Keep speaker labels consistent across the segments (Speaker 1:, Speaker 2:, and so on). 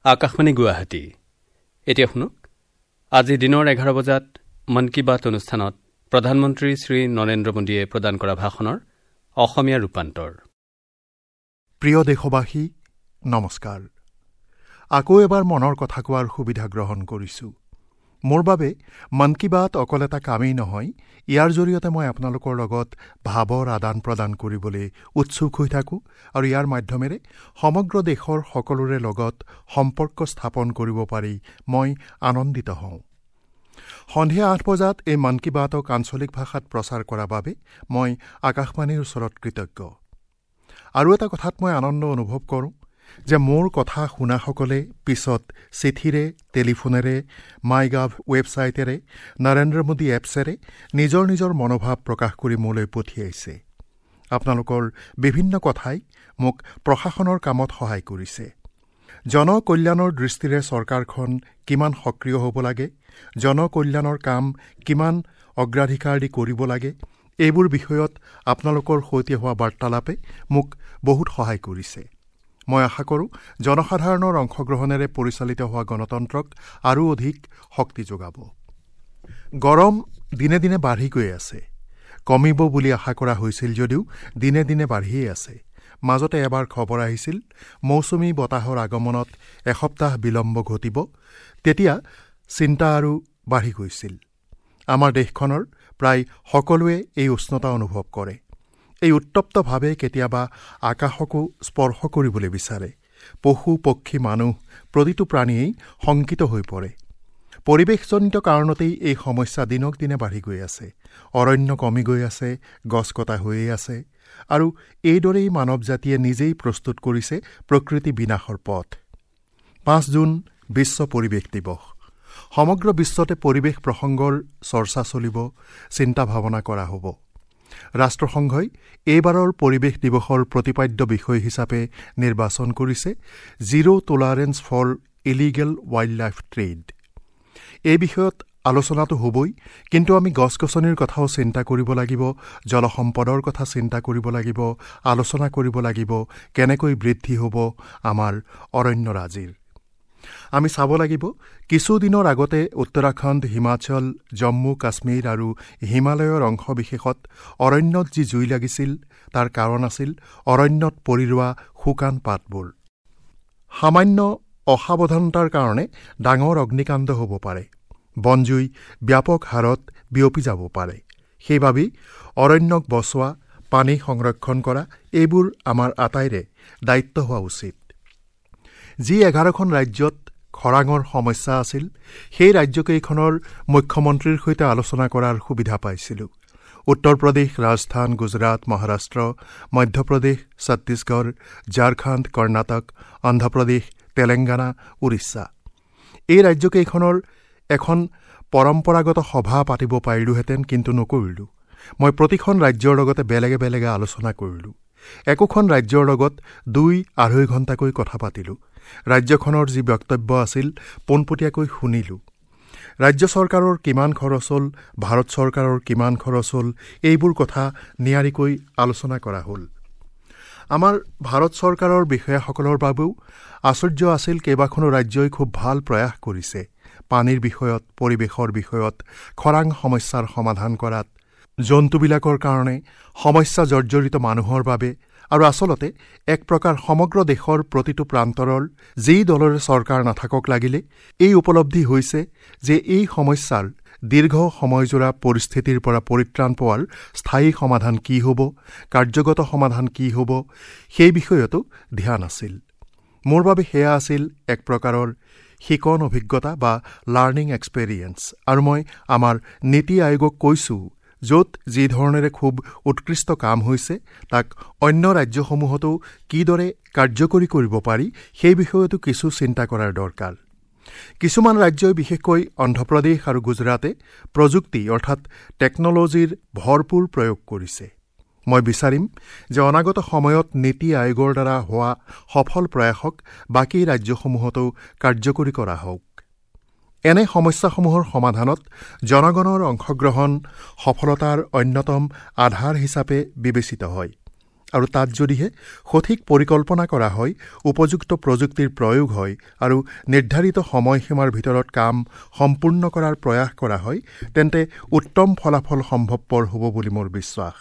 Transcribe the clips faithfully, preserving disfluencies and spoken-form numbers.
Speaker 1: আকাশবাণী গুৱাহাটী। এতিয়া শুনক আজি দিনৰ এঘাৰ বজাত মন কী বাত অনুষ্ঠানত প্ৰধানমন্ত্ৰী শ্ৰী নৰেন্দ্ৰ মোদীয়ে প্ৰদান কৰা ভাষণৰ অসমীয়া ৰূপান্তৰ।
Speaker 2: প্ৰিয় দেশবাসী, নমস্কাৰ। আকৌ এবাৰ মনৰ কথা কোৱাৰ সুবিধা গ্ৰহণ কৰিছোঁ। মোৰ বাবে মন কী বাত অকল এটা কামেই নহয়, ইয়াৰ জৰিয়তে মই আপোনালোকৰ লগত ভাৱৰ আদান প্ৰদান কৰিবলৈ উৎসুক হৈ থাকোঁ আৰু ইয়াৰ মাধ্যমেৰে সমগ্ৰ দেশৰ সকলোৰে লগত সম্পৰ্ক স্থাপন কৰিব পাৰি মই আনন্দিত হওঁ। সন্ধিয়া আঠ বজাত এই মন কী বাতক আঞ্চলিক ভাষাত প্ৰচাৰ কৰাৰ বাবে মই আকাশবাণীৰ ওচৰত কৃতজ্ঞ। আৰু এটা কথাত মই আনন্দ অনুভৱ কৰোঁ যে মোৰ কথা শুনাসকলে পিছত চিঠিৰে, টেলিফোনেৰে, মাই গাভ ৱেবছাইটেৰে, নৰেন্দ্ৰ মোদী এপছেৰে নিজৰ নিজৰ মনোভাৱ প্ৰকাশ কৰি মোলৈ পঠিয়াইছে। আপোনালোকৰ বিভিন্ন কথাই মোক প্ৰশাসনৰ কামত সহায় কৰিছে। জনকল্যাণৰ দৃষ্টিৰে চৰকাৰখন কিমান সক্ৰিয় হ'ব লাগে, জনকল্যাণৰ কাম কিমান অগ্ৰাধিকাৰ দি কৰিব লাগে, এইবোৰ বিষয়ত আপোনালোকৰ সৈতে হোৱা বাৰ্তালাপে মোক বহুত সহায় কৰিছে। মই আশা কৰোঁ জনসাধাৰণৰ অংশগ্ৰহণেৰে পৰিচালিত হোৱা গণতন্ত্ৰক আৰু অধিক শক্তি যোগাব। গৰম দিনে দিনে বাঢ়ি গৈ আছে। কমিব বুলি আশা কৰা হৈছিল যদিও দিনে দিনে বাঢ়িয়েই আছে। মাজতে এবাৰ খবৰ আহিছিল মৌচুমী বতাহৰ আগমনত এসপ্তাহ বিলম্ব ঘটিব, তেতিয়া চিন্তা আৰু বাঢ়ি গৈছিল। আমাৰ দেশখনৰ প্ৰায় সকলোৱে এই উষ্ণতা অনুভৱ কৰে। এই উত্তপ্তভাৱে কেতিয়াবা আকাশকো স্পৰ্শ কৰিবলৈ বিচাৰে। পশু পক্ষী, মানুহ প্ৰতিটো প্ৰাণীয়েই শংকিত হৈ পৰে। পৰিৱেশজনিত কাৰণতেই এই সমস্যা দিনক দিনে বাঢ়ি গৈ আছে। অৰণ্য কমি গৈ আছে, গছ কটা হৈয়ে আছে আৰু এইদৰেই মানৱ জাতিয়ে নিজেই প্ৰস্তুত কৰিছে প্ৰকৃতি বিনাশৰ পথ। পাঁচ জুন বিশ্ব পৰিৱেশ দিৱস। সমগ্ৰ বিশ্বতে পৰিৱেশ প্ৰসংগৰ চৰ্চা চলিব, চিন্তা ভাৱনা কৰা হ'ব। ৰাষ্ট্ৰসংঘই এইবাৰৰ পৰিৱেশ দিৱসৰ প্ৰতিপাদ্য বিষয় হিচাপে নিৰ্বাচন কৰিছে zero tolerance for illegal wild life trade. এই বিষয়ত আলোচনাটো হ'বই, কিন্তু আমি গছ গছনিৰ কথাও চিন্তা কৰিব লাগিব, জলসম্পদৰ কথা চিন্তা কৰিব লাগিব, আলোচনা কৰিব লাগিব কেনেকৈ বৃদ্ধি হ'ব আমাৰ অৰণ্যৰাজিৰ। আমি চাব লাগিব কিছুদিনৰ আগতে উত্তৰাখণ্ড, হিমাচল, জম্মু কাশ্মীৰ আৰু হিমালয়ৰ অংশবিশেষত অৰণ্যত যি জুই লাগিছিল তাৰ কাৰণ আছিল অৰণ্যত পৰি ৰোৱা শুকান পাতবোৰ। সামান্য অসাৱধানতাৰ কাৰণে ডাঙৰ অগ্নিকাণ্ড হ'ব পাৰে, বনজুই ব্যাপক হাৰত বিয়পি যাব পাৰে। সেইবাবেই অৰণ্যক বচোৱা, পানী সংৰক্ষণ কৰা এইবোৰ আমাৰ আটাইৰে দায়িত্ব হোৱা উচিত। যি এঘাৰখন ৰাজ্যত খৰাঙৰ সমস্যা আছিল সেই ৰাজ্যকেইখনৰ মুখ্যমন্ত্ৰীৰ সৈতে আলোচনা কৰাৰ সুবিধা পাইছিলোঁ। উত্তৰ প্ৰদেশ, ৰাজস্থান, গুজৰাট, মহাৰাষ্ট্ৰ, মধ্যপ্ৰদেশ, ছত্তীশগড়, ঝাৰখণ্ড, কৰ্ণাটক, অন্ধ্ৰপ্ৰদেশ, তেলেংগানা, উৰিষ্যা এই ৰাজ্যকেইখনৰ এখন পৰম্পৰাগত সভা পাতিব পাৰিলোহেঁতেন, কিন্তু নকৰিলোঁ। মই প্ৰতিখন ৰাজ্যৰ লগতে বেলেগে বেলেগে আলোচনা কৰিলোঁ। একোখন ৰাজ্যৰ লগত দুই আঢ়ৈ ঘণ্টাকৈ কথা পাতিলোঁ। ৰাজ্যখনৰ যি বক্তব্য আছিল পোনপটীয়াকৈ শুনিলোঁ। ৰাজ্য চৰকাৰৰ কিমান খৰচ হ'ল, ভাৰত চৰকাৰৰ কিমান খৰচ হ'ল, এইবোৰ কথা নিয়াৰিকৈ আলোচনা কৰা হ'ল। আমাৰ ভাৰত চৰকাৰৰ বিষয়াসকলৰ বাবেও আশ্চৰ্য আছিল, কেইবাখনো ৰাজ্যই খুব ভাল প্ৰয়াস কৰিছে পানীৰ বিষয়ত, পৰিৱেশৰ বিষয়ত, খৰাং সমস্যাৰ সমাধান কৰাত, জন্তুবিলাকৰ কাৰণে, সমস্যা জৰ্জৰিত মানুহৰ বাবে আৰু আচলতে এক প্ৰকাৰ সমগ্ৰ দেশৰ প্ৰতিটো প্ৰান্তৰৰ যি দলৰে চৰকাৰ নাথাকক লাগিলে এই উপলব্ধি হৈছে যে এই সমস্যাৰ দীৰ্ঘ সময়জোৰা পৰিস্থিতিৰ পৰা পৰিত্ৰাণ পোৱাৰ স্থায়ী সমাধান কি হ'ব, কাৰ্যগত সমাধান কি হ'ব সেই বিষয়তো ধ্যান আছিল। মোৰ বাবে সেয়া আছিল এক প্ৰকাৰৰ শিকন অভিজ্ঞতা বা লাৰ্ণিং এক্সপেৰিয়েঞ্চ। আৰু মই আমাৰ নীতি আয়োগক কৈছোঁ য'ত যি ধৰণেৰে খুব উৎকৃষ্ট কাম হৈছে তাক অন্য ৰাজ্যসমূহতো কিদৰে কাৰ্যকৰী কৰিব পাৰি সেই বিষয়তো কিছু চিন্তা কৰাৰ দৰকাৰ। কিছুমান ৰাজ্যই বিশেষকৈ অন্ধ্ৰপ্ৰদেশ আৰু গুজৰাটে প্ৰযুক্তি অৰ্থাৎ টেকন'লজিৰ ভৰপূৰ প্ৰয়োগ কৰিছে। মই বিচাৰিম যে অনাগত সময়ত নীতি আয়োগৰ দ্বাৰা হোৱা সফল প্ৰয়াসক বাকী ৰাজ্যসমূহতো কাৰ্যকৰী কৰা হওক। এনে সমস্যাসমূহৰ সমাধানত জনগণৰ অংশগ্ৰহণ সফলতাৰ অন্যতম আধাৰ হিচাপে বিবেচিত হয়। আৰু তাত যদিহে সঠিক পৰিকল্পনা কৰা হয়, উপযুক্ত প্ৰযুক্তিৰ প্ৰয়োগ হয় আৰু নিৰ্ধাৰিত সময়সীমাৰ ভিতৰত কাম সম্পূৰ্ণ কৰাৰ প্ৰয়াস কৰা হয়, তেন্তে উত্তম ফলাফল সম্ভৱপৰ হ'ব বুলি মোৰ বিশ্বাস।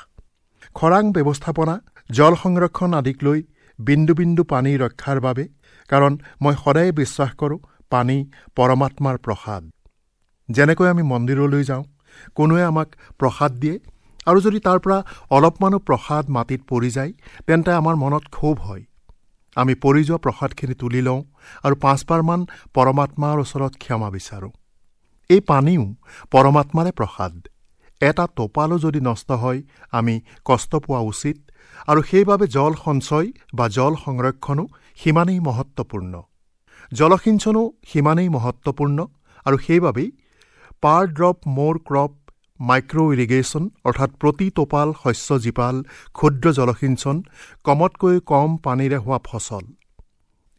Speaker 2: খৰাং ব্যৱস্থাপনা, জল সংৰক্ষণ আদিক লৈ বিন্দু বিন্দু পানী ৰক্ষাৰ বাবে, কাৰণ মই সদায়ে বিশ্বাস কৰোঁ পানী পৰমাত্মাৰ প্ৰসাদ। যেনেকৈ আমি মন্দিৰলৈ যাওঁ, কোনোৱে আমাক প্ৰসাদ দিয়ে আৰু যদি তাৰ পৰা অলপমানো প্ৰসাদ মাটিত পৰি যায়, তেন্তে আমাৰ মনত ক্ষোভ হয়। আমি পৰি যোৱা প্ৰসাদখিনি তুলি লওঁ আৰু পাঁচবাৰমান পৰমাত্মাৰ ওচৰত ক্ষমা বিচাৰোঁ। এই পানীও পৰমাত্মাৰে প্ৰসাদ। এটা টোপালো যদি নষ্ট হয়, আমি কষ্ট পোৱা উচিত আৰু সেইবাবে জল সঞ্চয় বা জল সংৰক্ষণো সিমানেই মহত্বপূৰ্ণ, জলসিঞ্চনো সিমানেই মহত্বপূৰ্ণ। আৰু সেইবাবেই per drop more crop micro irrigation, অৰ্থাৎ প্ৰতি টোপাল শস্য জীপাল ক্ষুদ্ৰ জলসিঞ্চন, কমতকৈ কম পানীৰে হোৱা ফচল।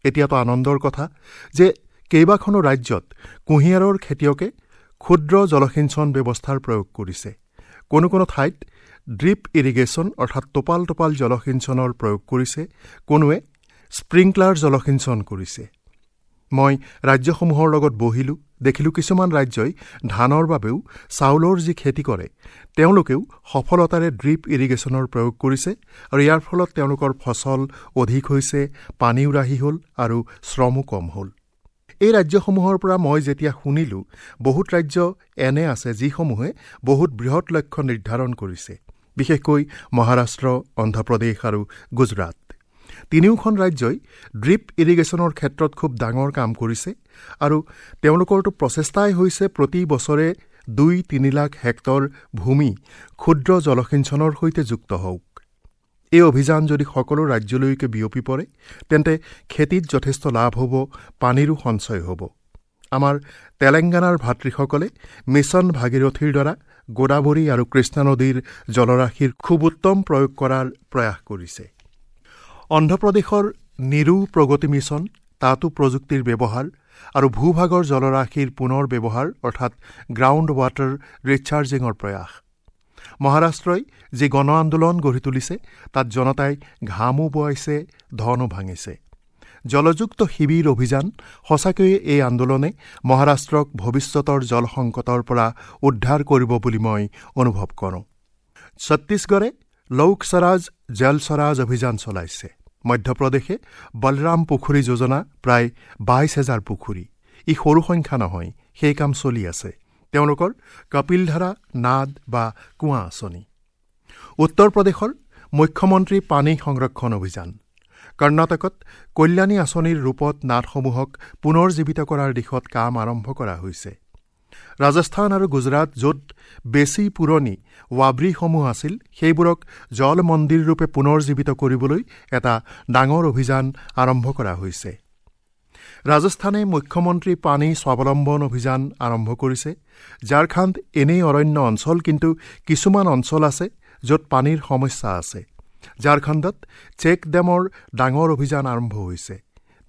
Speaker 2: এতিয়াতো আনন্দৰ কথা যে কেইবাখনো ৰাজ্যত কুঁহিয়াৰৰ খেতিয়কে ক্ষুদ্ৰ জলসিঞ্চন ব্যৱস্থাৰ প্ৰয়োগ কৰিছে। কোনো কোনো ঠাইত ড্ৰিপ ইৰিগেশ্যন, অৰ্থাৎ টোপাল টোপাল জলসিঞ্চনৰ প্ৰয়োগ কৰিছে, কোনোৱে স্প্ৰিংকলাৰ জলসিঞ্চন কৰিছে। মই ৰাজ্যসমূহৰ লগত বহিলোঁ, দেখিলোঁ কিছুমান ৰাজ্যই ধানৰ বাবেও চাউলৰ যি খেতি কৰে, তেওঁলোকেও সফলতাৰে ড্ৰিপ ইৰিগেশ্যনৰ প্ৰয়োগ কৰিছে আৰু ইয়াৰ ফলত তেওঁলোকৰ ফচল অধিক হৈছে, পানীও ৰাহি হ'ল আৰু শ্ৰমো কম হ'ল। এই ৰাজ্যসমূহৰ পৰা মই যেতিয়া শুনিলোঁ, বহুত ৰাজ্য এনে আছে যিসমূহে বহুত বৃহৎ লক্ষ্য নিৰ্ধাৰণ কৰিছে, বিশেষকৈ মহাৰাষ্ট্ৰ, অন্ধ্ৰপ্ৰদেশ আৰু গুজৰাট। তিনিওখন ৰাজ্যই ড্ৰিপ ইৰিগেশ্যনৰ ক্ষেত্ৰত খুব ডাঙৰ কাম কৰিছে আৰু তেওঁলোকৰতো প্ৰচেষ্টাই হৈছে প্ৰতি বছৰে দুই তিনি লাখ হেক্টৰ ভূমি ক্ষুদ্ৰ জলসিঞ্চনৰ সৈতে যুক্ত হওক। এই অভিযান যদি সকলো ৰাজ্যলৈকে বিয়পি পৰে, তেন্তে খেতিত যথেষ্ট লাভ হ'ব, পানীৰো সঞ্চয় হ'ব। আমাৰ তেলেংগানাৰ ভাতৃসকলে মিছন ভাগীৰথীৰ দ্বাৰা গোদাবৰী আৰু কৃষ্ণা নদীৰ জলৰাশিৰ খুব উত্তম প্ৰয়োগ কৰাৰ প্ৰয়াস কৰিছে। অন্ধ্ৰপ্ৰদেশৰ নিৰু প্ৰগতি মিছন, তাতো প্ৰযুক্তিৰ ব্যৱহাৰ আৰু ভূভাগৰ জলৰাশিৰ পুনৰ ব্যৱহাৰ, অৰ্থাৎ গ্ৰাউণ্ড ৱাটাৰ ৰিচাৰ্জিঙৰ প্ৰয়াস। মহাৰাষ্ট্ৰই যি গণ আন্দোলন গঢ়ি তুলিছে, তাত জনতাই ঘামো বোৱাইছে, ধনো ভাঙিছে। জলযুক্ত শিবিৰ অভিযান, সঁচাকৈয়ে এই আন্দোলনে মহাৰাষ্ট্ৰক ভৱিষ্যতৰ জল সংকটৰ পৰা উদ্ধাৰ কৰিব বুলি মই অনুভৱ কৰোঁ। ছত্তীশগড়ে লোক স্বৰাজ জল স্বৰাজ অভিযান চলাইছে। মধ্যপ্ৰদেশে বলৰাম পুখুৰী যোজনা, প্ৰায় বাইছ হেজাৰ পুখুৰী, ই সৰু সংখ্যা নহয়, সেই কাম চলি আছে। তেওঁলোকৰ কপিলধাৰা নাদ বা কুঁৱা আঁচনি। উত্তৰ প্ৰদেশৰ মুখ্যমন্ত্ৰী পানী সংৰক্ষণ অভিযান। কৰ্ণাটকত কল্যাণী আঁচনিৰ ৰূপত নাদসমূহক পুনৰ জীৱিত কৰাৰ দিশত কাম আৰম্ভ কৰা হৈছে। ৰাজস্থান আৰু গুজৰাট, য'ত বেছি পুৰণি ৱাব্ৰীসমূহ আছিল, সেইবোৰক জল মন্দিৰ ৰূপে পুনৰ জীৱিত কৰিবলৈ এটা ডাঙৰ অভিযান আৰম্ভ কৰা হৈছে। ৰাজস্থানে মুখ্যমন্ত্ৰী পানী স্বাৱলম্বন অভিযান আৰম্ভ কৰিছে। ঝাৰখণ্ড এনেই অৰণ্য অঞ্চল, কিন্তু কিছুমান অঞ্চল আছে য'ত পানীৰ সমস্যা আছে। ঝাৰখণ্ডত চেক ডেমৰ ডাঙৰ অভিযান আৰম্ভ হৈছে।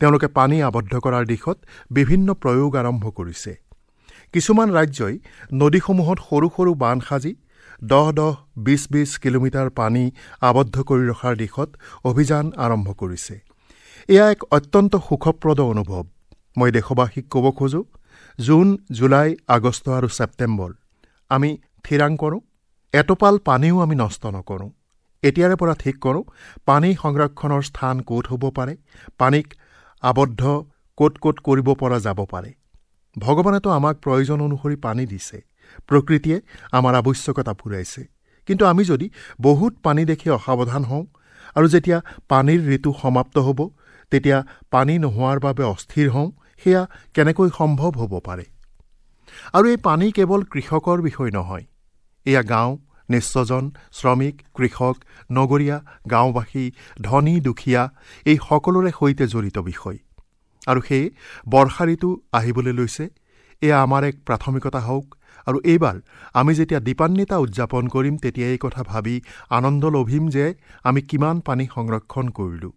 Speaker 2: তেওঁলোকে পানী আবদ্ধ কৰাৰ দিশত বিভিন্ন প্ৰয়োগ আৰম্ভ কৰিছে। কিছুমান ৰাজ্যই নদীসমূহত সৰু সৰু বান্ধ সাজি দহ দহ বিছ বিছ কিলোমিটাৰ পানী আবদ্ধ কৰি ৰখাৰ দিশত অভিযান আৰম্ভ কৰিছে। এয়া এক অত্যন্ত সুখপ্ৰদ অনুভৱ। মই দেশবাসীক ক'ব খোজোঁ, জুন, জুলাই, আগষ্ট আৰু ছেপ্টেম্বৰ আমি থিৰাং কৰোঁ, এটোপাল পানীও আমি নষ্ট নকৰোঁ। এতিয়াৰে পৰা ঠিক কৰোঁ পানী সংৰক্ষণৰ স্থান ক'ত হ'ব পাৰে, পানীক আবদ্ধ ক'ত ক'ত কৰিব পৰা যাব পাৰে। ভগৱানেতো আমাক প্ৰয়োজন অনুসৰি পানী দিছে, প্ৰকৃতিয়ে আমাৰ আৱশ্যকতা পূৰাইছে। কিন্তু আমি যদি বহুত পানী দেখি অসাৱধান হওঁ আৰু যেতিয়া পানীৰ ঋতু সমাপ্ত হ'ব তেতিয়া পানী নোহোৱাৰ বাবে অস্থিৰ হওঁ, সেয়া কেনেকৈ সম্ভৱ হ'ব পাৰে? আৰু এই পানী কেৱল কৃষকৰ বিষয় নহয়, এয়া গাঁও, নিঃস্বজন, শ্ৰমিক, কৃষক, নগৰীয়া, গাঁওবাসী, ধনী, দুখীয়া, এই সকলোৰে সৈতে জড়িত বিষয়। আৰু সেয়ে বৰ্ষা ঋতু আহিবলৈ লৈছে, এয়া আমাৰ এক প্ৰাথমিকতা হওক। আৰু এইবাৰ আমি যেতিয়া দীপান্বিতা উদযাপন কৰিম, তেতিয়া এই কথা ভাবি আনন্দ লভিম যে আমি কিমান পানী সংৰক্ষণ কৰিলোঁ।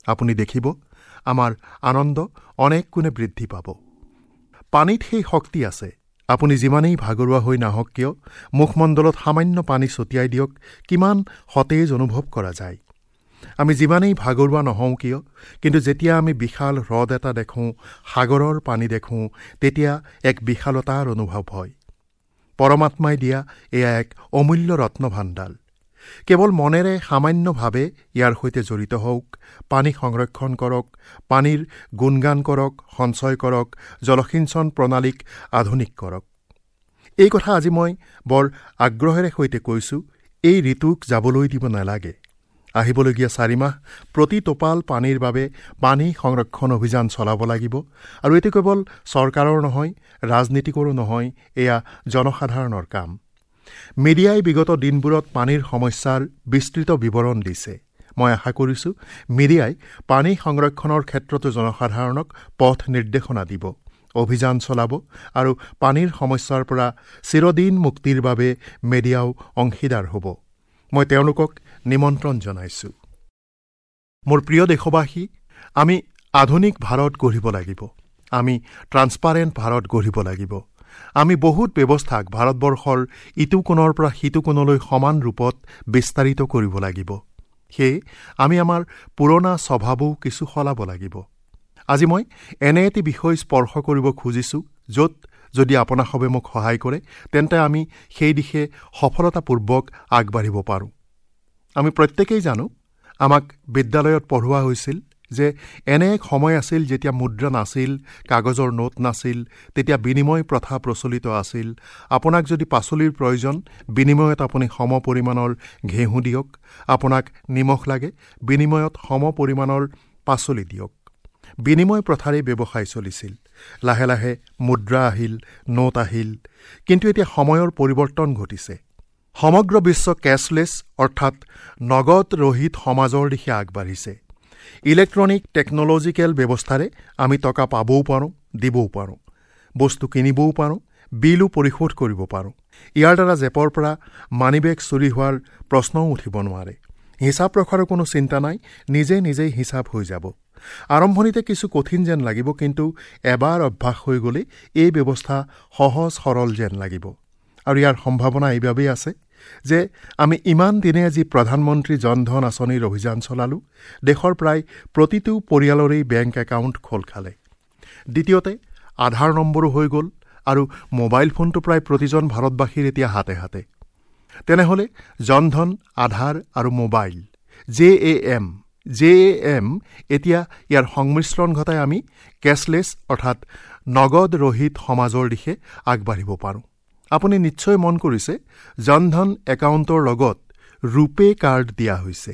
Speaker 2: আপুনি দেখিব আমাৰ আনন্দ অনেক গুণে বৃদ্ধি পাব। পানীত সেই শক্তি আছে। আপুনি যিমানেই ভাগৰুৱা হৈ নাহক কিয়, মুখমণ্ডলত সামান্য পানী ছটিয়াই দিয়ক, কিমান সতেজ অনুভৱ কৰা যায়। আমি যিমানেই ভাগৰুৱা নহওঁ কিয়, কিন্তু যেতিয়া আমি বিশাল হ্ৰদ এটা দেখোঁ, সাগৰৰ পানী দেখোঁ, তেতিয়া এক বিশালতাৰ অনুভৱ হয়। পৰমাত্মাই দিয়া এয়া এক অমূল্য ৰত্নভাণ্ডাৰ। কেৱল মনেৰে সামান্যভাৱে ইয়াৰ সৈতে জড়িত হওক, পানী সংৰক্ষণ কৰক, পানীৰ গুণগান কৰক, সঞ্চয় কৰক, জলসিঞ্চন প্ৰণালীক আধুনিক কৰক। এই কথা আজি মই বৰ আগ্ৰহেৰে সৈতে কৈছোঁ, এই ঋতুক যাবলৈ দিব নালাগে। আহিবলগীয়া চাৰি মাহ প্ৰতি টোপাল পানীৰ বাবে পানী সংৰক্ষণ অভিযান চলাব লাগিব। আৰু এইটো কেৱল চৰকাৰৰ নহয়, ৰাজনীতিকৰো নহয়, এয়া জনসাধাৰণৰ কাম। মিডিয়াই বিগত দিনবোৰত পানীৰ সমস্যাৰ বিস্তৃত বিৱৰণ দিছে। মই আশা কৰিছোঁ মিডিয়াই পানী সংৰক্ষণৰ ক্ষেত্ৰতো জনসাধাৰণক পথ নিৰ্দেশনা দিব, অভিযান চলাব আৰু পানীৰ সমস্যাৰ পৰা চিৰদিন মুক্তিৰ বাবে মিডিয়াও অংশীদাৰ হ'ব। মই তেওঁলোকক নিমন্ত্ৰণ জনাইছোঁ। মোৰ প্ৰিয় দেশবাসী, আমি আধুনিক ভাৰত গঢ়িব লাগিব, আমি ট্ৰান্সপাৰেণ্ট ভাৰত গঢ়িব লাগিব। আমি বহুত ব্যৱস্থাক ভাৰতবৰ্ষৰ ইটো কোণৰ পৰা সিটো কোণলৈ সমান ৰূপত বিস্তাৰিত কৰিব লাগিব। সেয়ে আমি আমাৰ পুৰণা স্বভাৱো কিছু সলাব লাগিব। আজি মই এনে এটি বিষয় স্পৰ্শ কৰিব খুজিছোঁ, য'ত যদি আপোনাসবে মোক সহায় কৰে, তেন্তে আমি সেই দিশে সফলতাপূৰ্বক আগবাঢ়িব পাৰোঁ। আমি প্ৰত্যেকেই জানো, আমাক বিদ্যালয়ত পঢ়োৱা হৈছিল যে এনে এক সময় আছিল যেতিয়া মুদ্ৰা নাছিল, কাগজৰ নোট নাছিল, তেতিয়া বিনিময় প্ৰথা প্ৰচলিত আছিল। আপোনাক যদি পাচলিৰ প্ৰয়োজন, বিনিময়ত আপুনি সম পৰিমাণৰ ঘেঁহু দিয়ক। আপোনাক নিমখ লাগে, বিনিময়ত সম পৰিমাণৰ পাচলি দিয়ক। বিনিময় প্ৰথাৰে ব্যৱসায় চলিছিল। লাহে লাহে মুদ্ৰা আহিল, নোট আহিল। কিন্তু এতিয়া সময়ৰ পৰিৱৰ্তন ঘটিছে। সমগ্ৰ বিশ্ব কেছলেছ অৰ্থাৎ নগদ ৰহিত সমাজৰ দিশে আগবাঢ়িছে। ইলেক্ট্ৰনিক টেকন'লজিকেল ব্যৱস্থাৰে আমি টকা পাবও পাৰোঁ, দিবও পাৰোঁ, বস্তু কিনিবও পাৰোঁ, বিলো পৰিশোধ কৰিব পাৰোঁ। ইয়াৰ দ্বাৰা জেপৰ পৰা মানিবেগ চুৰি হোৱাৰ প্ৰশ্নও উঠিব নোৱাৰে। হিচাপ ৰখাৰো কোনো চিন্তা নাই, নিজে নিজেই হিচাপ হৈ যাব। আৰম্ভণিতে কিছু কঠিন যেন লাগিব, কিন্তু এবাৰ অভ্যাস হৈ গ'লে এই ব্যৱস্থা সহজ সৰল যেন লাগিব। আৰু ইয়াৰ সম্ভাৱনা এইবাবেই আছে যে আমি ইমান দিনে যি প্ৰধানমন্ত্ৰী জনধন আঁচনিৰ অভিযান চলালোঁ, দেশৰ প্ৰায় প্ৰতিটো পৰিয়ালৰেই বেংক একাউণ্ট খোল খালে। দ্বিতীয়তে, আধাৰ নম্বৰো হৈ গ'ল আৰু মোবাইল ফোনটো প্ৰায় প্ৰতিজন ভাৰতবাসীৰ এতিয়া হাতে হাতে। তেনেহ'লে জনধন, আধাৰ আৰু mobile J A M J A M এতিয়া ইয়াৰ সংমিশ্ৰণ ঘটাই আমি কেছলেছ অৰ্থাৎ নগদ ৰহিত সমাজৰ দিশে আগবাঢ়িব পাৰোঁ। আপুনি নিশ্চয় মন কৰিছে, জনধন একাউণ্টৰ লগত ৰূপে কাৰ্ড দিয়া হৈছে।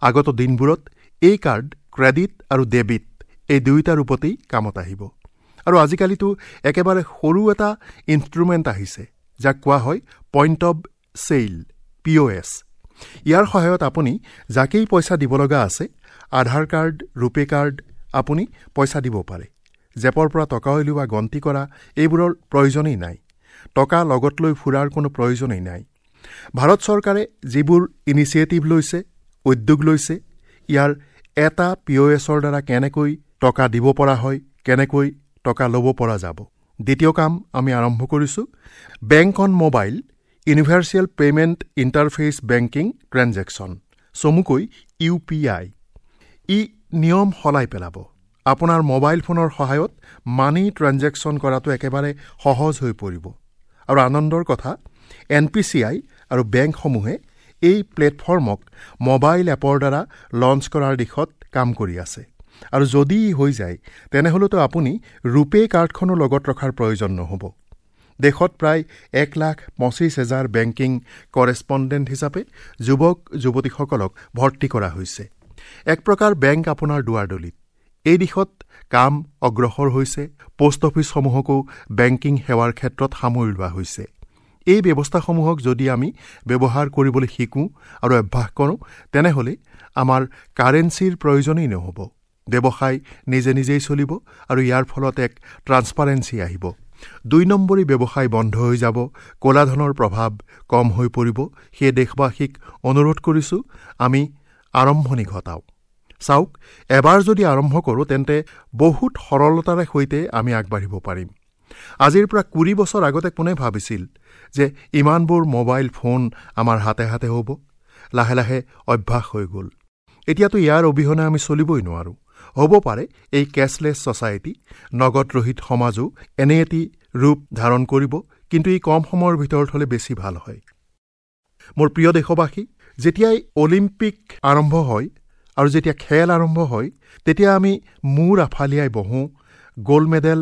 Speaker 2: আগত দিনবোৰত এই কাৰ্ড ক্ৰেডিট আৰু ডেবিট এই দুয়োটা ৰূপতেই কামত আহিব। আৰু আজিকালিতো একেবাৰে সৰু এটা ইনষ্ট্ৰুমেণ্ট আহিছে, যাক কোৱা হয় point of sale, P O S. ইয়াৰ সহায়ত আপুনি যাকেই পইচা দিব লগা আছে, আধাৰ কাৰ্ড, ৰূপে কাৰ্ড, আপুনি পইচা দিব পাৰে। জেপৰ পৰা টকা উলিওৱা, গন্তি কৰা এইবোৰৰ প্ৰয়োজনেই নাই। টকা লগত লৈ ফুৰাৰ কোনো প্ৰয়োজনেই নাই। ভাৰত চৰকাৰে যিবোৰ ইনিচিয়েটিভ লৈছে, উদ্যোগ লৈছে, ইয়াৰ এটা পি অ' এছৰ দ্বাৰা কেনেকৈ টকা দিব পৰা হয়, কেনেকৈ টকা ল'ব পৰা যাব। দ্বিতীয় কাম আমি আৰম্ভ কৰিছোঁ, bank on mobile universal payment interface banking transaction, চমুকৈ ইউ পি আই। ই নিয়ম সলাই পেলাব। আপোনাৰ মোবাইল ফোনৰ সহায়ত মানি ট্ৰেঞ্জেকশ্যন কৰাটো একেবাৰে সহজ হৈ পৰিব। আৰু আনন্দৰ কথা, এন পি চি I আৰু বেংকসমূহে এই প্লেটফৰ্মক মোবাইল এপৰ দ্বাৰা লঞ্চ কৰাৰ দিশত কাম কৰি আছে। আৰু যদি হৈ যায়, তেনেহ'লেতো আপুনি ৰূপে কাৰ্ডখনো লগত ৰখাৰ প্ৰয়োজন নহ'ব। দেশত প্ৰায় এক লাখ পঁচিছ হেজাৰ বেংকিং কৰেছপণ্ডেণ্ট হিচাপে যুৱক যুৱতীসকলক ভৰ্তি কৰা হৈছে। এক প্ৰকাৰ বেংক আপোনাৰ দুৱাৰদলিত। এই দিশত কাম অগ্ৰসৰ হৈছে। পোষ্ট অফিচসমূহকো বেংকিং সেৱাৰ ক্ষেত্ৰত সামৰি লোৱা হৈছে। এই ব্যৱস্থাসমূহক যদি আমি ব্যৱহাৰ কৰিবলৈ শিকোঁ আৰু অভ্যাস কৰোঁ, তেনেহ'লে আমাৰ কাৰেঞ্চিৰ প্ৰয়োজনেই নহ'ব। ব্যৱসায় নিজে নিজেই চলিব আৰু ইয়াৰ ফলত এক ট্ৰান্সপাৰেঞ্চি আহিব। দুই নম্বৰী ব্যৱসায় বন্ধ হৈ যাব, ক'লা ধনৰ প্ৰভাৱ কম হৈ পৰিব। সেয়ে দেশবাসীক অনুৰোধ কৰিছোঁ, আমি আৰম্ভণি ঘটাওঁ। চাওক, এবাৰ যদি আৰম্ভ কৰোঁ, তেন্তে বহুত সৰলতাৰে সৈতে আমি আগবাঢ়িব পাৰিম। আজিৰ পৰা কুৰি বছৰ আগতে কোনে ভাবিছিল যে ইমানবোৰ মোবাইল ফোন আমাৰ হাতে হাতে হ'ব? লাহে লাহে অভ্যাস হৈ গ'ল। এতিয়াতো ইয়াৰ অবিহনে আমি চলিবই নোৱাৰোঁ। হ'ব পাৰে এই কেছলেছ ছ'চাইটি, নগদৰহিত সমাজো এনে এটি ৰূপ ধাৰণ কৰিব, কিন্তু ই কম সময়ৰ ভিতৰত হ'লে বেছি ভাল হয়। মোৰ প্ৰিয় দেশবাসী, যেতিয়াই অলিম্পিক আৰম্ভ হয় আৰু যেতিয়া খেল আৰম্ভ হয়, তেতিয়া আমি মূৰ আফালিয়াই বহোঁ, গ'ল্ড মেডেল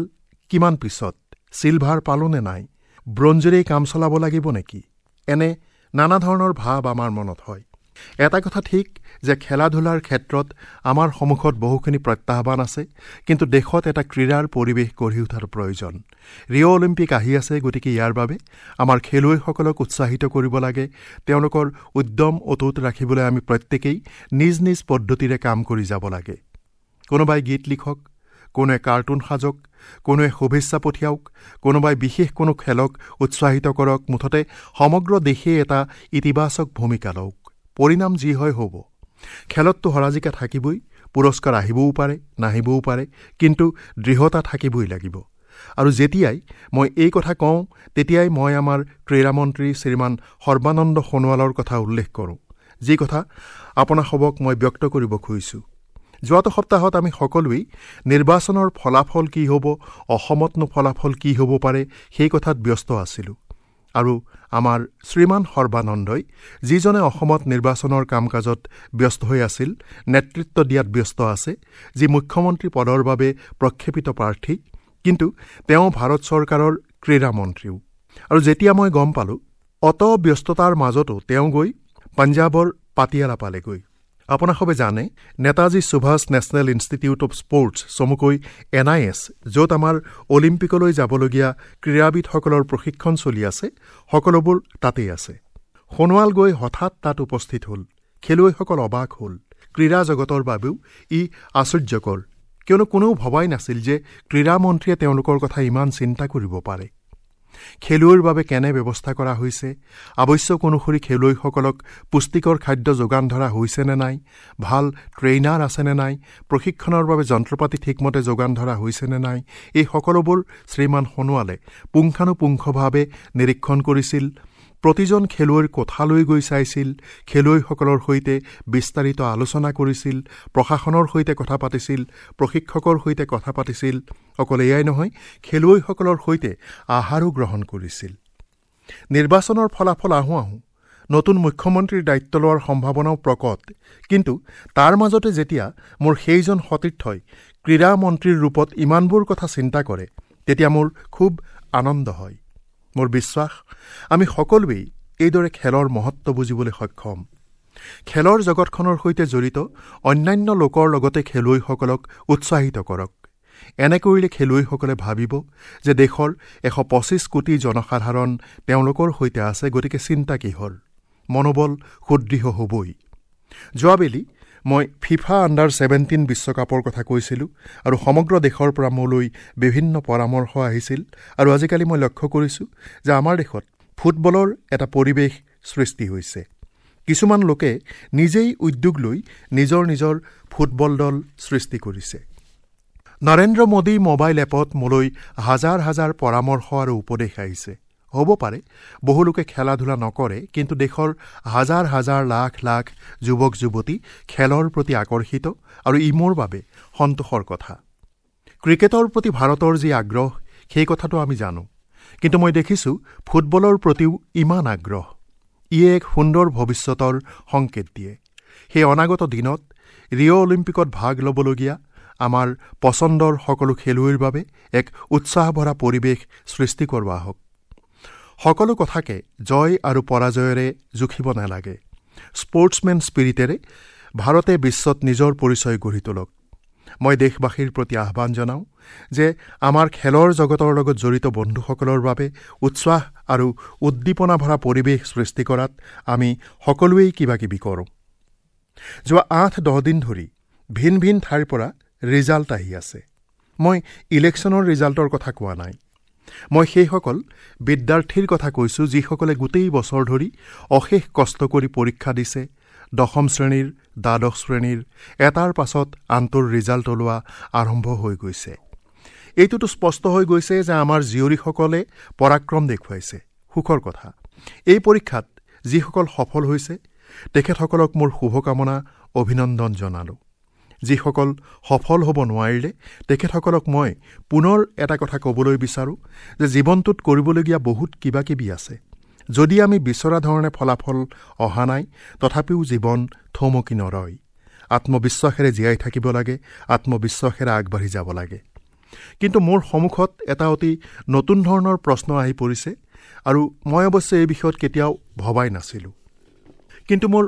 Speaker 2: কিমান পিছত, চিলভাৰ পালোঁ নে নাই, ব্ৰঞ্জেৰেই কাম চলাব লাগিব নেকি, এনে নানা ধৰণৰ ভাৱ আমাৰ মনত হয়। এটা কথা ঠিক যে খেলা ধূলাৰ ক্ষেত্ৰত আমাৰ সন্মুখত বহুখিনি প্ৰত্যাহ্বান আছে, কিন্তু দেশত এটা ক্ৰীড়াৰ পৰিৱেশ গঢ়ি উঠাৰ প্ৰয়োজন। ৰিঅ' অলিম্পিক আহি আছে, গতিকে ইয়াৰ বাবে আমাৰ খেলুৱৈসকলক উৎসাহিত কৰিব লাগে। তেওঁলোকৰ উদ্যম অটুট ৰাখিবলৈ আমি প্ৰত্যেকেই নিজ নিজ পদ্ধতিৰে কাম কৰি যাব লাগে। কোনোবাই গীত লিখক, কোনোৱে কাৰ্টুন সাজক, কোনোৱে শুভেচ্ছা পঠিয়াওক, কোনোবাই বিশেষ কোনো খেলক উৎসাহিত কৰক, মুঠতে সমগ্ৰ দেশে এটা ইতিবাচক ভূমিকা লওক। পৰিণাম যি হয় হ'ব। খেলততো হৰাজিকা থাকিবই, পুৰস্কাৰ আহিবও পাৰে, নাহিবও পাৰে, কিন্তু দৃঢ়তা থাকিবই লাগিব। আৰু যেতিয়াই মই এই কথা কওঁ, তেতিয়াই মই আমাৰ ক্ৰীড়ামন্ত্ৰী শ্ৰীমান সৰ্বানন্দ সোণোৱালৰ কথা উল্লেখ কৰোঁ, যি কথা আপোনাসবক মই ব্যক্ত কৰিব খুজিছোঁ। যোৱাটো সপ্তাহত আমি সকলোৱেই নিৰ্বাচনৰ ফলাফল কি হ'ব, অসমতনো ফলাফল কি হ'ব পাৰে, সেই কথাত ব্যস্ত আছিলোঁ। আৰু আমাৰ শ্ৰীমান সৰ্বানন্দই, যিজনে অসমত নিৰ্বাচনৰ কাম কাজত ব্যস্ত হৈ আছিল, নেতৃত্ব দিয়াত ব্যস্ত আছে, যি মুখ্যমন্ত্ৰী পদৰ বাবে প্ৰক্ষেপিত প্ৰাৰ্থী, কিন্তু তেওঁ ভাৰত চৰকাৰৰ ক্ৰীড়ামন্ত্ৰীও। আৰু যেতিয়া মই গম পালোঁ, অত ব্যস্ততাৰ মাজতো তেওঁ গৈ পঞ্জাৱৰ পাটিয়ালা পালেগৈ। আপোনাসবে জানে, Netaji Subhash national institute of sports, চমুকৈ এন I S, য'ত আমাৰ অলিম্পিকলৈ যাবলগীয়া ক্ৰীড়াবিদসকলৰ প্ৰশিক্ষণ চলি আছে, সকলোবোৰ তাতেই আছে। সোণোৱাল গৈ হঠাৎ তাত উপস্থিত হ'ল। খেলুৱৈসকল অবাক হ'ল। ক্ৰীড়া জগতৰ বাবেও ই আশ্চৰ্যকৰ, কিয়নো কোনেও ভবাই নাছিল যে ক্ৰীড়ামন্ত্ৰীয়ে তেওঁলোকৰ কথা ইমান চিন্তা কৰিব পাৰে। খেলুৱৈৰ বাবে কেনে ব্যৱস্থা কৰা হৈছে, আৱশ্যক অনুসৰি খেলুৱৈসকলক পুষ্টিকৰ খাদ্য যোগান ধৰা হৈছে নে নাই, ভাল ট্ৰেইনাৰ আছেনে নাই, প্ৰশিক্ষণৰ বাবে যন্ত্ৰপাতি ঠিকমতে যোগান ধৰা হৈছে নে নাই, এই সকলোবোৰ শ্ৰীমান সোণোৱালে পুংখানুপুংখভাৱে নিৰীক্ষণ কৰিছিল। প্ৰতিজন খেলুৱৈৰ কোঠালৈ গৈ চাইছিল, খেলুৱৈসকলৰ সৈতে বিস্তাৰিত আলোচনা কৰিছিল, প্ৰশাসনৰ সৈতে কথা পাতিছিল, প্ৰশিক্ষকৰ সৈতে কথা পাতিছিল। অকল এয়াই নহয়, খেলুৱৈসকলৰ সৈতে আহাৰো গ্ৰহণ কৰিছিল। নিৰ্বাচনৰ ফলাফল আহোঁ আহোঁ নতুন মুখ্যমন্ত্ৰীৰ দায়িত্ব লোৱাৰ সম্ভাৱনাও প্ৰকট, কিন্তু তাৰ মাজতে যেতিয়া মোৰ সেইজন সতীৰ্থই ক্ৰীড়া মন্ত্ৰীৰ ৰূপত ইমানবোৰ কথা চিন্তা কৰে, তেতিয়া মোৰ খুব আনন্দ হয়। মোৰ বিশ্বাস, আমি সকলোৱেই এইদৰে খেলৰ মহত্ব বুজিবলৈ সক্ষম। খেলৰ জগতখনৰ সৈতে জড়িত অন্যান্য লোকৰ লগতে খেলুৱৈসকলক উৎসাহিত কৰক। এনে কৰিলে খেলুৱৈসকলে ভাবিব যে দেশৰ এশ পঁচিছ কোটি জনসাধাৰণ তেওঁলোকৰ সৈতে আছে, গতিকে চিন্তা কিহৰ, মনোবল সুদৃঢ় হ'বই। যোৱাবেলি মই ফিফা আণ্ডাৰ ছেভেণ্টিন বিশ্বকাপৰ কথা কৈছিলোঁ আৰু সমগ্ৰ দেশৰ পৰা মোলৈ বিভিন্ন পৰামৰ্শ আহিছিল। আৰু আজিকালি মই লক্ষ্য কৰিছোঁ যে আমাৰ দেশত ফুটবলৰ এটা পৰিৱেশ সৃষ্টি হৈছে। কিছুমান লোকে নিজেই উদ্যোগ লৈ নিজৰ নিজৰ ফুটবল দল সৃষ্টি কৰিছে। নৰেন্দ্ৰ মোদী মোবাইল এপত মোলৈ হাজাৰ হাজাৰ পৰামৰ্শ আৰু উপদেশ আহিছে। হ'ব পাৰে বহু লোকে খেলা ধূলা নকৰে, কিন্তু দেশৰ হাজাৰ হাজাৰ লাখ লাখ যুৱক যুৱতী খেলৰ প্ৰতি আকৰ্ষিত আৰু ই মোৰ বাবে সন্তোষৰ কথা। ক্ৰিকেটৰ প্ৰতি ভাৰতৰ যি আগ্ৰহ, সেই কথাটো আমি জানো, কিন্তু মই দেখিছোঁ ফুটবলৰ প্ৰতিও ইমান আগ্ৰহ। ইয়ে এক সুন্দৰ ভৱিষ্যতৰ সংকেত দিয়ে। সেই অনাগত দিনত ৰিঅ' অলিম্পিকত ভাগ ল'বলগীয়া আমাৰ পচন্দৰ সকলো খেলুৱৈৰ বাবে এক উৎসাহভৰা পৰিৱেশ সৃষ্টি কৰোৱা হওক। সকলো কথাকে জয় আৰু পৰাজয়েৰে জুখিব নালাগে। স্পৰ্টছমেন স্পিৰিটেৰে ভাৰতে বিশ্বত নিজৰ পৰিচয় গঢ়ি তোলক। মই দেশবাসীৰ প্ৰতি আহ্বান জনাওঁ যে আমাৰ খেলৰ জগতৰ লগত জড়িত বন্ধুসকলৰ বাবে উৎসাহ আৰু উদ্দীপনা ভৰা পৰিৱেশ সৃষ্টি কৰাত আমি সকলোৱেই কিবাকিবি কৰোঁ। যোৱা আঠ দহ দিন ধৰি ভিন ভিন ঠাইৰ পৰা ৰিজাল্ট আহি আছে। মই ইলেকশ্যনৰ ৰিজাল্টৰ কথা কোৱা নাই, মই সেইসকল বিদ্যাৰ্থীৰ কথা কৈছোঁ যিসকলে গোটেই বছৰ ধৰি অশেষ কষ্ট কৰি পৰীক্ষা দিছে। দশম শ্ৰেণীৰ, দ্বাদশ শ্ৰেণীৰ এটাৰ পাছত আনটোৰ ৰিজাল্ট ওলোৱা আৰম্ভ হৈ গৈছে। এইটোতো স্পষ্ট হৈ গৈছে যে আমাৰ জীয়ৰীসকলে পৰাক্ৰম দেখুৱাইছে। সুখৰ কথা, এই পৰীক্ষাত যিসকল সফল হৈছে তেখেতসকলক মোৰ শুভকামনা, অভিনন্দন জনালোঁ। যিসকল সফল হ'ব নোৱাৰিলে তেখেতসকলক মই পুনৰ এটা কথা ক'বলৈ বিচাৰোঁ যে জীৱনটোত কৰিবলগীয়া বহুত কিবা কিবি আছে। যদি আমি বিচৰা ধৰণে ফলাফল অহা নাই, তথাপিও জীৱন থমকি নৰয়। আত্মবিশ্বাসেৰে জীয়াই থাকিব লাগে, আত্মবিশ্বাসেৰে আগবাঢ়ি যাব লাগে। কিন্তু মোৰ সন্মুখত এটা অতি নতুন ধৰণৰ প্ৰশ্ন আহি পৰিছে আৰু মই অৱশ্যে এই বিষয়ত কেতিয়াও ভবাই নাছিলোঁ। কিন্তু মোৰ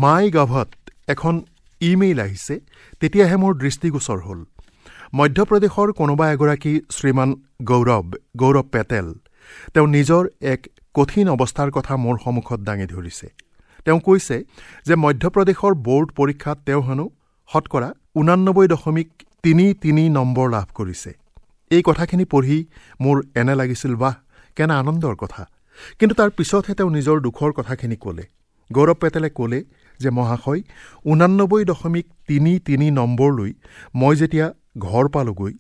Speaker 2: মাই গভত এখন ইমেইল আহিছে, তেতিয়াহে মোৰ দৃষ্টিগোচৰ হ'ল। মধ্যপ্ৰদেশৰ কোনোবা এগৰাকী শ্ৰীমান গৌৰৱ গৌৰৱ পেটেল, তেওঁ নিজৰ এক কঠিন অৱস্থাৰ কথা মোৰ সন্মুখত দাঙি ধৰিছে। তেওঁ কৈছে যে মধ্যপ্ৰদেশৰ বৰ্ড পৰীক্ষাত তেওঁ হেনো শতকৰা ঊনানব্বৈ দশমিক তিনি তিনি নম্বৰ লাভ কৰিছে। এই কথাখিনি পঢ়ি মোৰ এনে লাগিছিল, বাহ, কেনে আনন্দৰ কথা। কিন্তু তাৰ পিছতহে তেওঁ নিজৰ দুখৰ কথাখিনি ক'লে। গৌৰৱ পেটেলে ক'লে যে মহাশয়, ঊনানব্বৈ দশমিক তিনি তিনি নম্বৰ লৈ মই যেতিয়া ঘৰ পালোগৈ,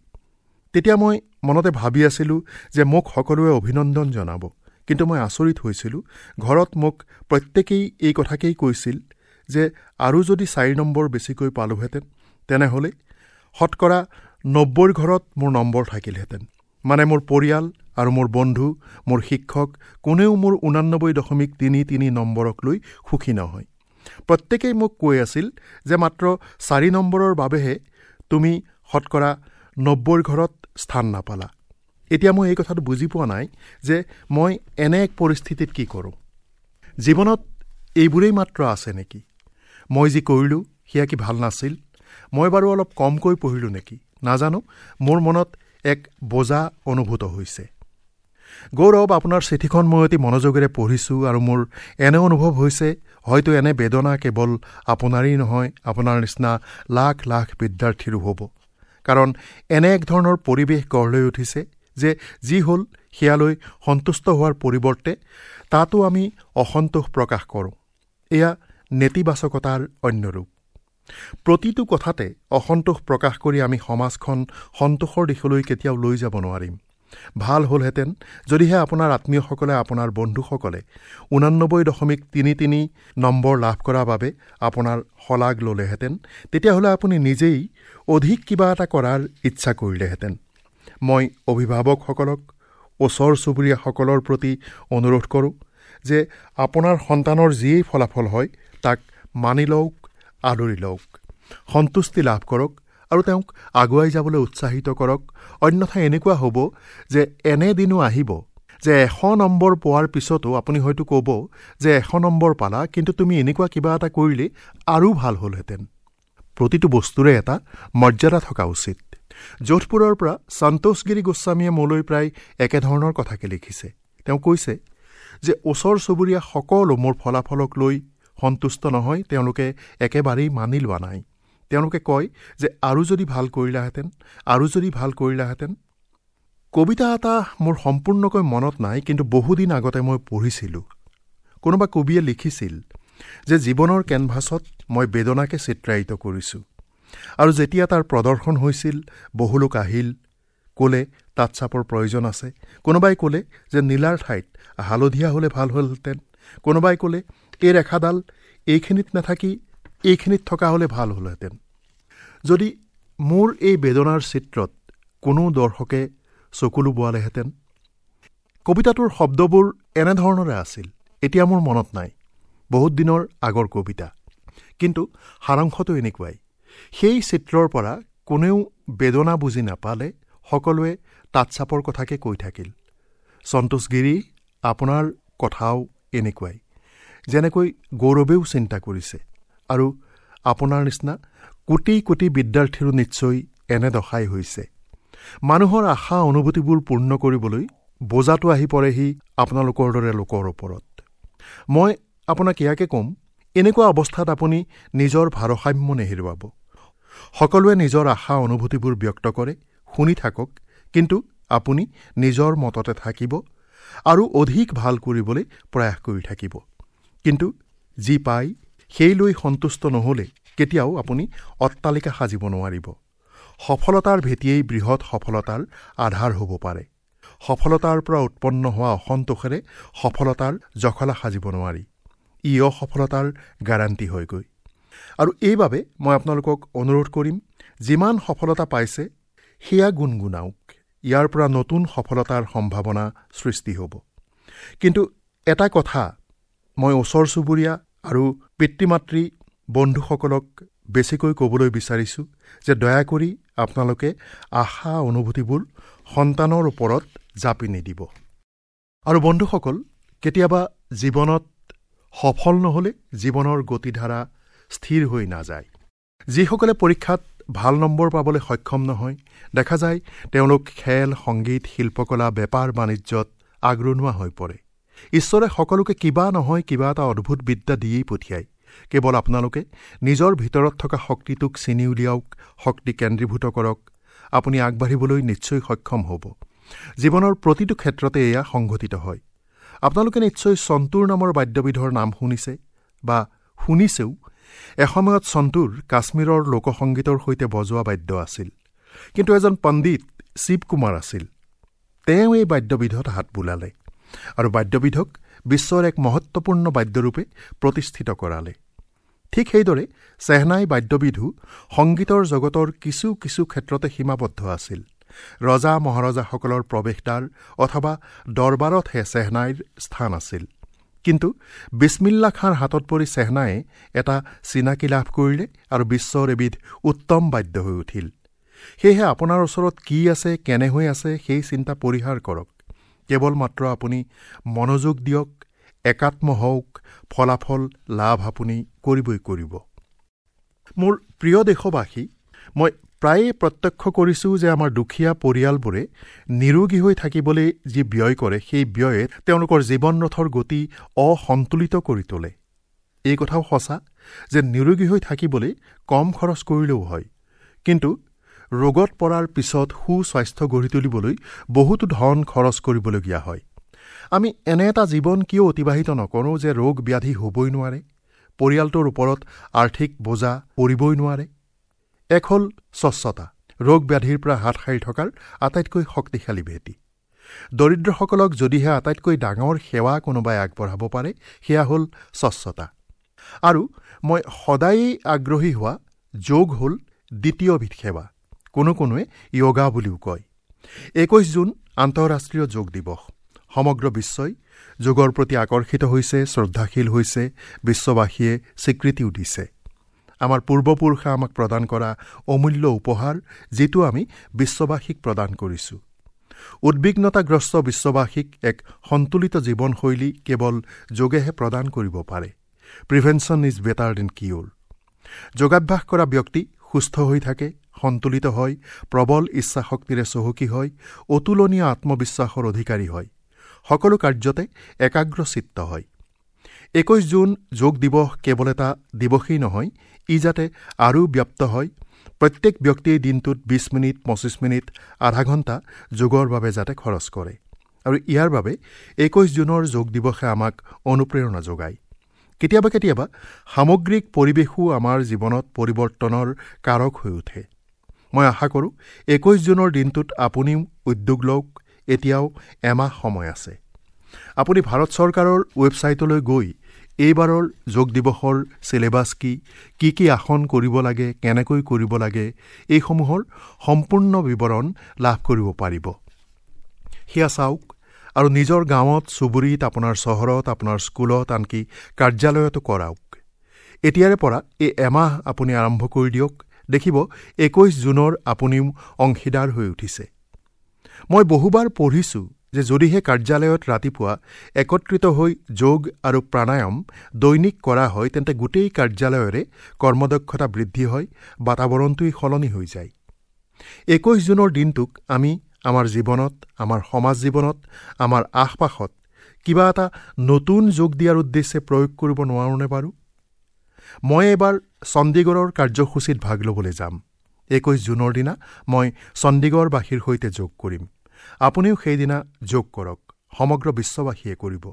Speaker 2: তেতিয়া মই মনতে ভাবি আছিলোঁ যে মোক সকলোৱে অভিনন্দন জনাব। কিন্তু মই আচৰিত হৈছিলোঁ, ঘৰত মোক প্ৰত্যেকেই এই কথাকেই কৈছিল যে আৰু যদি চাৰি নম্বৰ বেছিকৈ পালোহেঁতেন তেনেহ'লে শতকৰা নব্বৈৰ ঘৰত মোৰ নম্বৰ থাকিলহেঁতেন। মানে মোৰ পৰিয়াল আৰু মোৰ বন্ধু, মোৰ শিক্ষক কোনেও মোৰ ঊনানব্বৈ দশমিক তিনি তিনি নম্বৰক লৈ সুখী নহয়। প্ৰত্যেকেই মোক কৈ আছিল যে মাত্ৰ চাৰি নম্বৰৰ বাবেহে তুমি শতকৰা নব্বৈৰ ঘৰত স্থান নাপালা। এতিয়া মই এই কথাটো বুজি পোৱা নাই যে মই এনে এক পৰিস্থিতিত কি কৰোঁ। জীৱনত এইবোৰেই মাত্ৰ আছে নেকি? মই যি কৰিলোঁ সেয়া কি ভাল নাছিল? মই বাৰু অলপ কমকৈ পঢ়িলোঁ নেকি? নাজানো, মোৰ মনত এক বোজা অনুভূত হৈছে। গৌৰৱ, আপোনাৰ চিঠিখন মই অতি মনোযোগেৰে পঢ়িছোঁ আৰু মোৰ এনে অনুভৱ হৈছে হয়তো এনে বেদনা কেৱল আপোনাৰেই নহয়, আপোনাৰ নিচিনা লাখ লাখ বিদ্যাৰ্থীৰো হ'ব। কাৰণ এনে এক ধৰণৰ পৰিৱেশ গঢ় লৈ উঠিছে যে যি হ'ল সেয়ালৈ সন্তুষ্ট হোৱাৰ পৰিৱৰ্তে তাতো আমি অসন্তোষ প্ৰকাশ কৰোঁ। এয়া নেতিবাচকতাৰ অন্য ৰূপ। প্ৰতিটো কথাতে অসন্তোষ প্ৰকাশ কৰি আমি সমাজখন সন্তোষৰ দিশলৈ কেতিয়াও লৈ যাব নোৱাৰিম। ভাল হ'লহেঁতেন যদিহে আপোনাৰ আত্মীয়সকলে, আপোনাৰ বন্ধুসকলে ঊনানব্বৈ দশমিক তিনি তিনি নম্বৰ লাভ কৰাৰ বাবে আপোনাৰ শলাগ ল'লেহেঁতেন, তেতিয়াহ'লে আপুনি নিজেই অধিক কিবা এটা কৰাৰ ইচ্ছা কৰিলেহেঁতেন। মই অভিভাৱকসকলক, ওচৰ চুবুৰীয়াসকলৰ প্ৰতি অনুৰোধ কৰোঁ যে আপোনাৰ সন্তানৰ যিয়েই ফলাফল হয় তাক মানি লওক, আদৰি লওক, সন্তুষ্টি লাভ কৰক আৰু তেওঁক আগুৱাই যাবলৈ উৎসাহিত কৰক। অন্যথা এনেকুৱা হ'ব যে এনে দিনো আহিব যে এশ নম্বৰ পোৱাৰ পিছতো আপুনি হয়তো ক'ব যে এশ নম্বৰ পালা, কিন্তু তুমি এনেকুৱা কিবা এটা কৰিলে আৰু ভাল হ'লহেঁতেন। প্ৰতিটো বস্তুৰে এটা মৰ্যাদা থকা উচিত। যোধপুৰৰ পৰা সন্তোষগিৰি গোস্বামীয়ে মোলৈ প্ৰায় একেধৰণৰ কথাকে লিখিছে। তেওঁ কৈছে যে ওচৰ চুবুৰীয়া সকলো মোৰ ফলাফলক লৈ সন্তুষ্ট নহয়, তেওঁলোকে একেবাৰেই মানি লোৱা নাই। তেওঁলোকে কয় যে আৰু যদি ভাল কৰিলাহেঁতেন, আৰু যদি ভাল কৰিলাহেঁতেন। কবিতা এটা মোৰ সম্পূৰ্ণকৈ মনত নাই, কিন্তু বহুদিন আগতে মই পঢ়িছিলোঁ। কোনোবা কবিয়ে লিখিছিল যে জীৱনৰ কেনভাছত মই বেদনাকে চিত্ৰায়িত কৰিছোঁ, আৰু যেতিয়া তাৰ প্ৰদৰ্শন হৈছিল বহু লোক আহিল, ক'লে তাত চাপৰ প্ৰয়োজন আছে। কোনোবাই ক'লে যে নীলাৰ ঠাইত হালধীয়া হ'লে ভাল হ'লহেঁতেন। কোনোবাই ক'লে এই ৰেখাডাল এইখিনিত নাথাকি এইখিনিত থকা হ'লে ভাল হ'লহেঁতেন। যদি মোৰ এই বেদনাৰ চিত্ৰত কোনো দৰ্শকে চকুলো বোৱালেহেঁতেন। কবিতাটোৰ শব্দবোৰ এনেধৰণৰে আছিল, এতিয়া মোৰ মনত নাই, বহুত দিনৰ আগৰ কবিতা, কিন্তু সাৰাংশটো এনেকুৱাই। সেই চিত্ৰৰ পৰা কোনেও বেদনা বুজি নাপালে, সকলোৱে তাঁত চাপৰ কথাকে কৈ থাকিল। সন্তোষগিৰি, আপোনাৰ কথাও এনেকুৱাই, যেনেকৈ গৌৰৱেও চিন্তা কৰিছে, আৰু আপোনাৰ নিচিনা কোটি কোটি বিদ্যাৰ্থীৰো নিশ্চয় এনে দশাই হৈছে। মানুহৰ আশা অনুভূতিবোৰ পূৰ্ণ কৰিবলৈ বোজাটো আহি পৰেহি আপোনালোকৰ দৰে লোকৰ ওপৰত। মই আপোনাক ইয়াকে ক'ম, এনেকুৱা অৱস্থাত আপুনি নিজৰ ভাৰসাম্য নেহেৰুৱাব। সকলোৱে নিজৰ আশা অনুভূতিবোৰ ব্যক্ত কৰে, শুনি থাকক, কিন্তু আপুনি নিজৰ মততে থাকিব আৰু অধিক ভাল কৰিবলৈ প্ৰয়াস কৰি থাকিব। কিন্তু যি পায় সেই লৈ সন্তুষ্ট নহ'লে কেতিয়াও আপুনি অট্টালিকা সাজিব নোৱাৰিব। সফলতাৰ ভেটিয়েই বৃহৎ সফলতাৰ আধাৰ হ'ব পাৰে। সফলতাৰ পৰা উৎপন্ন হোৱা অসন্তোষেৰে সফলতাৰ জখলা সাজিব নোৱাৰি। ই অসফলতাৰ গাৰাণ্টি হয়গৈ। আৰু এইবাবে মই আপোনালোকক অনুৰোধ কৰিম, যিমান সফলতা পাইছে সেয়া গুণগুণাওক, ইয়াৰ পৰা নতুন সফলতাৰ সম্ভাৱনা সৃষ্টি হ'ব। কিন্তু এটা কথা মই ওচৰ চুবুৰীয়া আৰু পিতৃ মাতৃ বন্ধুসকলক বেছিকৈ ক'বলৈ বিচাৰিছোঁ যে দয়া কৰি আপোনালোকে আশা অনুভূতিবোৰ সন্তানৰ ওপৰত জাপি নিদিব। আৰু বন্ধুসকল, কেতিয়াবা জীৱনত সফল নহ'লে জীৱনৰ গতিধাৰা স্থিৰ হৈ নাযায়। যিসকলে পৰীক্ষাত ভাল নম্বৰ পাবলৈ সক্ষম নহয়, দেখা যায় তেওঁলোক খেল, সংগীত, শিল্পকলা, বেপাৰ বাণিজ্যত আগৰণুৱা হৈ পৰে। ঈশ্বৰে সকলোকে কিবা নহয় কিবা এটা অদ্ভুত বিদ্যা দিয়েই পঠিয়ায়। কেৱল আপোনালোকে নিজৰ ভিতৰত থকা শক্তিটোক চিনি উলিয়াওক, শক্তি কেন্দ্ৰীভূত কৰক, আপুনি আগবাঢ়িবলৈ নিশ্চয় সক্ষম হ'ব। জীৱনৰ প্ৰতিটো ক্ষেত্ৰতে এয়া সংঘটিত হয়। আপোনালোকে নিশ্চয় সন্তুৰ নামৰ বাদ্যবিধৰ নাম শুনিছে বা শুনিছেও। এসময়ত সন্তুৰ কাশ্মীৰৰ লোকসংগীতৰ সৈতে বজোৱা বাদ্য আছিল। কিন্তু এজন পণ্ডিত শিৱ কুমাৰ আছিল, তেওঁ এই বাদ্যবিধত হাত বোলালে আৰু বাদ্যবিধক বিশ্বৰ এক মহত্বপূৰ্ণ বাদ্যৰূপে প্ৰতিষ্ঠিত কৰালে। ঠিক সেইদৰে চেহনাই বাদ্যবিধো সংগীতৰ জগতৰ কিছু কিছু ক্ষেত্ৰতে সীমাবদ্ধ আছিল। ৰজা মহাৰজাসকলৰ প্ৰৱেশদ্বাৰ অথবা দৰবাৰতহে চেহনাইৰ স্থান আছিল। কিন্তু বিছমিল্লা খাঁৰ হাতত পৰি চেহনায়ে এটা চিনাকি লাভ কৰিলে আৰু বিশ্বৰ এবিধ উত্তম বাদ্য হৈ উঠিল। সেয়েহে আপোনাৰ ওচৰত কি আছে, কেনে হৈ আছে, সেই চিন্তা পৰিহাৰ কৰক। কেৱল মাত্ৰ আপুনি মনোযোগ দিয়ক, একাত্ম হওক, ফলাফল লাভ আপুনি কৰিবই কৰিব। মোৰ প্ৰিয় দেশবাসী, মই প্ৰায়ে প্ৰত্যক্ষ কৰিছোঁ যে আমাৰ দুখীয়া পৰিয়ালবোৰে নিৰোগী হৈ থাকিবলৈ যি ব্যয় কৰে, সেই ব্যয়ে তেওঁলোকৰ জীৱন ৰথৰ গতি অসন্তুলিত কৰি তোলে। এই কথাও সঁচা যে নিৰোগী হৈ থাকিবলৈ কম খৰচ কৰিলেও হয়, কিন্তু ৰোগত পৰাৰ পিছত সুস্বাস্থ্য গঢ়ি তুলিবলৈ বহুতো ধন খৰচ কৰিবলগীয়া হয়। আমি এনে এটা জীৱন কিয় অতিবাহিত নকৰোঁ যে ৰোগ ব্যাধি হ'বই নোৱাৰে, পৰিয়ালটোৰ ওপৰত আৰ্থিক বোজা পৰিবই নোৱাৰে? এক হ'ল স্বচ্ছতা, ৰোগ ব্যাধিৰ পৰা হাত সাৰি থকাৰ আটাইতকৈ শক্তিশালী ভেটি। দৰিদ্ৰসকলক যদিহে আটাইতকৈ ডাঙৰ সেৱা কোনোবাই আগবঢ়াব পাৰে, সেয়া হ'ল স্বচ্ছতা। আৰু মই সদায়েই আগ্ৰহী হোৱা যোগ হ'ল দ্বিতীয়বিধ সেৱা, কোনো কোনোৱে য়োগা বুলিও কয়। একৈশ জুন আন্তঃৰাষ্ট্ৰীয় যোগ দিৱস। সমগ্ৰ বিশ্বই যোগৰ প্ৰতি আকৰ্ষিত হৈছে, শ্ৰদ্ধাশীল হৈছে, বিশ্ববাসীয়ে স্বীকৃতিও দিছে। আমাৰ পূৰ্বপুৰুষে আমাক প্ৰদান কৰা অমূল্য উপহাৰ, যিটো আমি বিশ্ববাসীক প্ৰদান কৰিছোঁ। উদ্বিগ্নতাগ্ৰস্ত বিশ্ববাসীক এক সন্তুলিত জীৱনশৈলী কেৱল যোগেহে প্ৰদান কৰিব পাৰে। Prevention is better than cure. যোগাভ্যাস কৰা ব্যক্তি সুস্থ হৈ থাকে, সন্তুলিত হয়, প্ৰবল ইচ্ছাশক্তিৰে চহকী হয়, অতুলনীয় আত্মবিশ্বাসৰ অধিকাৰী হয়, সকলো কাৰ্যতে একাগ্ৰচিত্ত হয়। একৈশ জুন যোগ দিৱস কেৱল এটা দিৱসেই নহয়, ই যাতে আৰু ব্যাপ্ত হয়, প্ৰত্যেক ব্যক্তিয়ে দিনটোত বিছ মিনিট, পঁচিছ মিনিট, আধা ঘণ্টা যোগৰ বাবে যাতে খৰচ কৰে। আৰু ইয়াৰ বাবে একৈশ জুনৰ যোগ দিৱসে আমাক অনুপ্ৰেৰণা যোগায়। কেতিয়াবা কেতিয়াবা সামগ্ৰিক পৰিৱেশো আমাৰ জীৱনত পৰিৱৰ্তনৰ কাৰক হৈ উঠে। মই আশা কৰোঁ একৈশ জুনৰ দিনটোত আপুনিও উদ্যোগ লওক। এতিয়াও এমাহ সময় আছে। আপুনি ভাৰত চৰকাৰৰ ৱেবছাইটলৈ গৈ এইবাৰৰ যোগ দিৱসৰ চিলেবাছ কি, কি কি আসন কৰিব লাগে, কেনেকৈ কৰিব লাগে, এইসমূহৰ সম্পূৰ্ণ বিৱৰণ লাভ কৰিব পাৰিব। সেয়া চাওক আৰু নিজৰ গাঁৱত, চুবুৰীত, আপোনাৰ চহৰত, আপোনাৰ স্কুলত, আনকি কাৰ্যালয়তো কৰাওক। এতিয়াৰে পৰা এই এমাহ আপুনি আৰম্ভ কৰি দিয়ক, দেখিব একৈশ জুনৰ আপুনিও অংশীদাৰ হৈ উঠিছে। মই বহুবাৰ পঢ়িছোঁ যে যদিহে কাৰ্যালয়ত ৰাতিপুৱা একত্ৰিত হৈ যোগ আৰু প্ৰাণায়াম দৈনিক কৰা হয়, তেন্তে গোটেই কাৰ্যালয়ৰে কৰ্মদক্ষতা বৃদ্ধি হয়, বাতাবৰণটোৱেই সলনি হৈ যায়। একৈশ জুনৰ দিনটোক আমি আমাৰ জীৱনত, আমাৰ সমাজ জীৱনত, আমাৰ আশ-পাশত কিবা এটা নতুন যোগ দিয়াৰ উদ্দেশ্যে প্ৰয়োগ কৰিব নোৱাৰোঁনে বাৰু? মই এইবাৰ চণ্ডীগড়ৰ কাৰ্যসূচীত ভাগ ল'বলৈ যাম। একৈশ জুনৰ দিনা মই চণ্ডীগড়বাসীৰ সৈতে যোগ কৰিম। আপুনিও সেইদিনা যোগ কৰক, সমগ্ৰ বিশ্ববাসীয়ে কৰিব।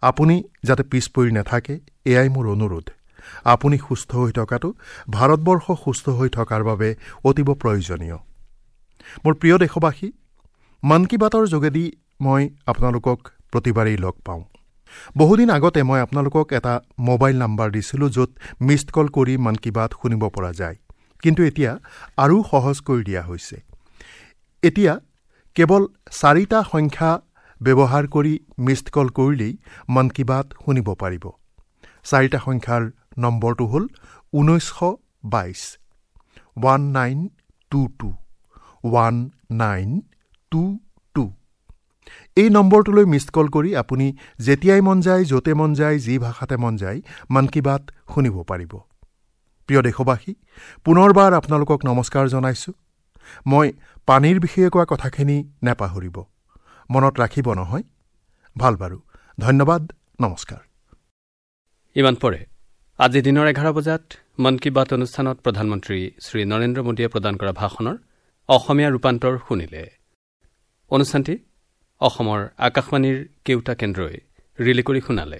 Speaker 2: আপুনি যাতে পিছ পৰি নাথাকে, এয়াই মোৰ অনুৰোধ। আপুনি সুস্থ হৈ থকাটো ভাৰতবৰ্ষ সুস্থ হৈ থকাৰ বাবে অতীৱ প্ৰয়োজনীয়। মোৰ প্ৰিয় দেশবাসী, মন কী বাতৰ যোগেদি মই আপোনালোকক প্ৰতিবাৰেই লগ পাওঁ। বহুদিন আগতে মই আপোনালোকক এটা মোবাইল নাম্বাৰ দিছিলোঁ য'ত মিছড কল কৰি মন কী বাত শুনিব পৰা যায়, কিন্তু এতিয়া আৰু সহজ কৰি দিয়া হৈছে। এতিয়া কেৱল চাৰিটা সংখ্যা ব্যৱহাৰ কৰি মিছড কল কৰিলেই মন কী বাত শুনিব পাৰিব। চাৰিটা সংখ্যাৰ নম্বৰটো হ'ল ঊনৈছশ বাইছ, one nine two two, one nine two two. এই নম্বৰটোলৈ মিছড কল কৰি আপুনি যেতিয়াই মন যায়, য'তে মন যায়, যি ভাষাতে মন যায় মন কী বাত শুনিব পাৰিব। প্ৰিয় দেশবাসী, পুনৰবাৰ আপোনালোকক নমস্কাৰ জনাইছোঁ। মই পানীৰ বিষয়ে কোৱা কথাখিনি নেপাহৰিব, মনত ৰাখিব নহয়? ভাল বাৰু, ধন্যবাদ, নমস্কাৰ।
Speaker 1: ইমান পৰে আজি দিনৰ এঘাৰ বজাত মন কী বাত অনুষ্ঠানত প্ৰধানমন্ত্ৰী শ্ৰী নৰেন্দ্ৰ মোদীয়ে প্ৰদান কৰা ভাষণৰ অসমীয়া ৰূপান্তৰ শুনিলে। অনুষ্ঠানটি অসমৰ আকাশবাণীৰ কেউটা কেন্দ্ৰই ৰিলে কৰি শুনালে।